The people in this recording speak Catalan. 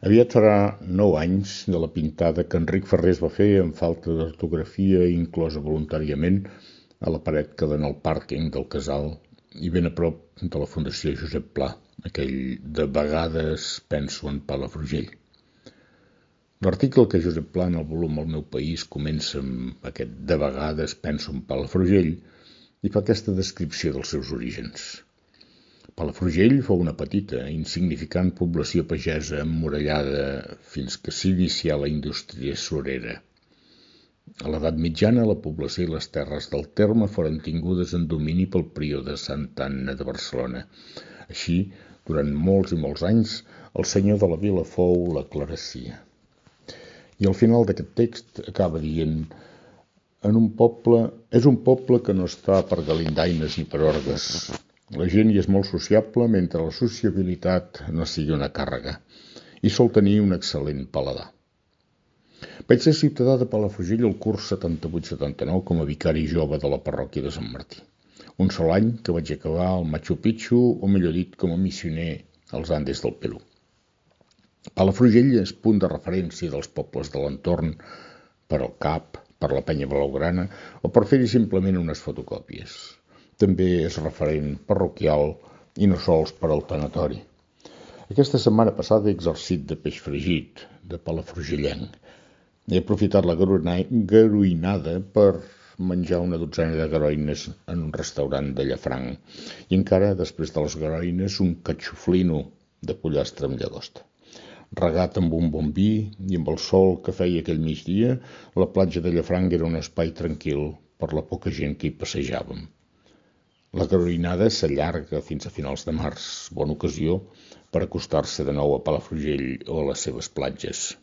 Aviat farà 9 anys de la pintada que Enric Ferrés va fer amb falta d'ortografia inclosa voluntàriament a la paret que dona al pàrquing del casal i ben a prop de la Fundació Josep Pla, aquell "de vegades penso en Palafrugell". L'article que Josep Pla en el volum El meu país comença amb aquest "de vegades penso en Palafrugell" i fa aquesta descripció dels seus orígens. Palafrugell fou una petita, insignificant població pagesa emmurallada fins que s'inicià la indústria surera. A l'edat mitjana, la població i les terres del terme foren tingudes en domini pel prior de Santa Anna de Barcelona. Així, durant molts i molts anys, el senyor de la vila fou la clerecia. I al final d'aquest text acaba dient: és un poble que no està per galindaines ni per orgues. La gent hi és molt sociable mentre la sociabilitat no sigui una càrrega i sol tenir un excel·lent paladar. Vaig ser ciutadà de Palafrugell el curs 78-79 com a vicari jove de la parròquia de Sant Martí. Un sol any que vaig acabar al Machu Picchu, o millor dit, com a missioner als Andes del Perú. Palafrugell és punt de referència dels pobles de l'entorn per al CAP, per la penya blaugrana o per fer-hi simplement unes fotocòpies. També és referent parroquial i no sols per al tanatori. Aquesta setmana passada he exercit de peix fregit, de palafrugellenc. He aprofitat la garoinada per menjar una dotzena de garoines en un restaurant de Llafranc i encara, després de les garoines, un catxoflino de pollastre amb llagosta. Regat amb un bon vi i amb el sol que feia aquell migdia, la platja de Llafranc era un espai tranquil per la poca gent que hi passejàvem. La garoinada s'allarga fins a finals de març, bona ocasió per acostar-se de nou a Palafrugell o a les seves platges.